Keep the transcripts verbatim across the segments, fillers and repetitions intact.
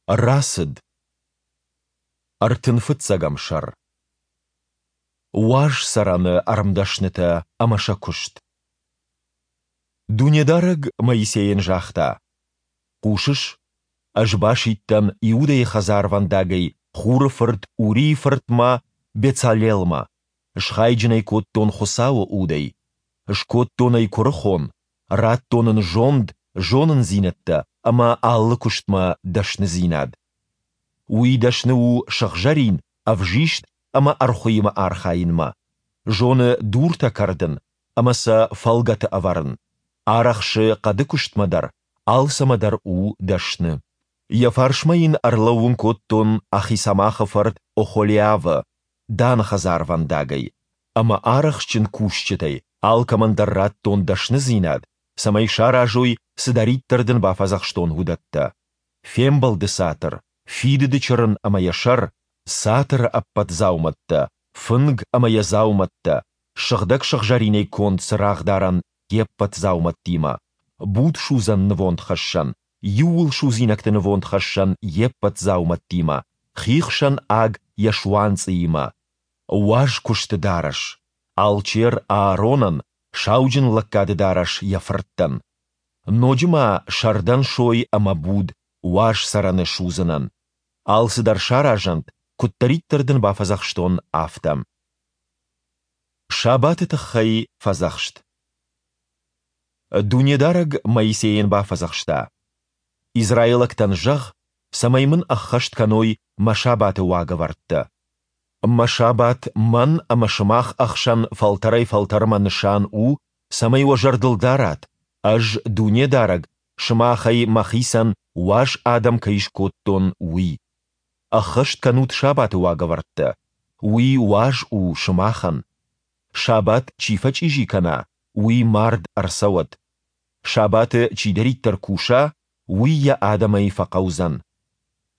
Рацыд. Ӕртын фыццӕгӕм сӕр. Уаз цӕрӕны ӕрмдӕснытӕ ӕмӕ сӕ куыст. Дунедарӕг Моисейӕн загъта: Хъусыс, Ӕз басидтӕн Иудӕйы хӕдзарвӕндагӕй Хуры фырт Урийы фыртмӕ Бецалелмӕ, схайджын ӕй кодтон Хуыцауы Удӕй, скодтон ӕй куырыхон, радтон ын зонд, зонындзинӕдтӕ ӕмӕ алы куыстмӕ дӕсныдзинад. Уый дӕсны у сыгъзӕрин, ӕвзист ӕмӕ ӕрхуыимӕ архайынмӕ, зоны дуртӕ кӕрдын ӕмӕ сӕ фӕлгӕты ӕвӕрын, арӕхсы хъӕды куыстмӕ дӕр, алцӕмӕ дӕр у дӕсны. Йӕ фарсмӕ йын ӕрлӕууын кодтон Ахисамахы фырт Охолиавы, Даны хӕдзарвӕндагӕй. Ӕмӕ арӕхстджын кусджытӕй алкӕмӕн дӕр радтон дӕсныдзинад, цӕмӕй саразой, цыдӕриддӕр дын бафӕдзӕхстон, уыдӕттӕ, Фембӕлды цатыр, Фидыды Чырын ӕмӕ йӕ сӕр, цатыры ӕппӕт дзаумӕттӕ, фынг ӕмӕ йӕ дзаумӕттӕ, сыгъдӕг сыгъзӕринӕй конд цырагъдарӕн йе ппӕт дзаумӕттимӕ, будсудзӕн нывондхӕссӕн, иууылсудзинӕгты нывондхӕссӕн йе ппӕт дзаумӕттимӕ, хихсӕн аг йӕ суанцъыимӕ, уаз куысты дарӕс, алчер Ааронӕн, сауджынлӕггады дарӕс йӕ фырттӕн. Ноджы ма сӕрдӕн сой ӕмӕ буд, уаз цӕрӕны судзынӕн. Алцыдӕр саразӕнт, куыддӕриддӕр дын бафӕдзӕхстон, афтӕ. Сабаты тыххӕй фӕдзӕхст. Дунедарӕг Моисейӕн бафӕдзӕхста: Израилӕгтӕн зӕгъ, цӕмӕй мын ӕххӕст кӕной мӕ сабаты уагӕвӕрдтӕ. Мӕ сабат мӕн ӕмӕ сымах ӕхсӕн фӕлтӕрӕй-фӕлтӕрмӕ нысан у, цӕмӕй уӕ зӕрдыл дарат, Ӕз, Дунедарӕг, сымахӕй Мӕхицӕн уаз адӕм кӕй скодтон, уый. Ӕххӕст кӕнут сабаты уагӕвӕрдтӕ. Уый уаз у сымахӕн. Сабат чи фӕчъизи кӕна, уый мард ӕрцӕуӕд. Сабаты чидӕриддӕр куса, уый йӕ адӕмӕй фӕхъӕудзӕн.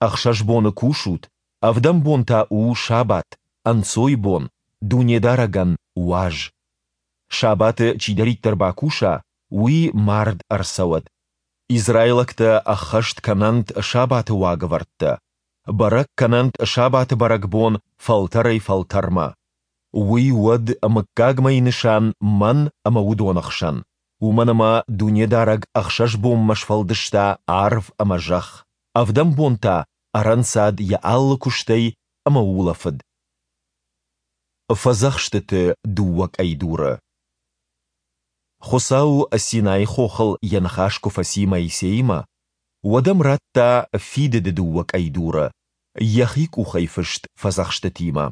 Ӕхсӕз боны кусут, ӕвдӕм бон та у сабат, ӕнцойбон, Дунедарӕгӕн уаз. Сабаты чидӕриддӕр бакуса, уый мард ӕрцӕуӕд. Израилӕгтӕ ӕххӕст кӕнӕнт сабаты уагӕвӕрдтӕ, бӕрӕг кӕнӕнт сабаты бӕрӕгбон фӕлтӕрӕй-фӕлтӕрмӕ. Уый уӕд мыггагмӕйы нысан Мӕн ӕмӕ уыдоны хсӕн, уымӕн ӕмӕ Дунедарӕг ӕхсӕз бонмӕ сфӕлдыста арв ӕмӕ зӕхх, ӕвдӕм бон та ӕрӕнцад йӕ алы куыстӕй ӕмӕ улӕфыд. Фӕдзӕхстыты дыууӕ къӕйдуры. Хуыцау Синайы хохыл йӕ ныхас куы фӕци Моисеимӕ, уӕд ӕм радта фидыды дыууӕ къӕйдуры, йӕхи къухӕй фыст фӕдзӕхстытимӕ.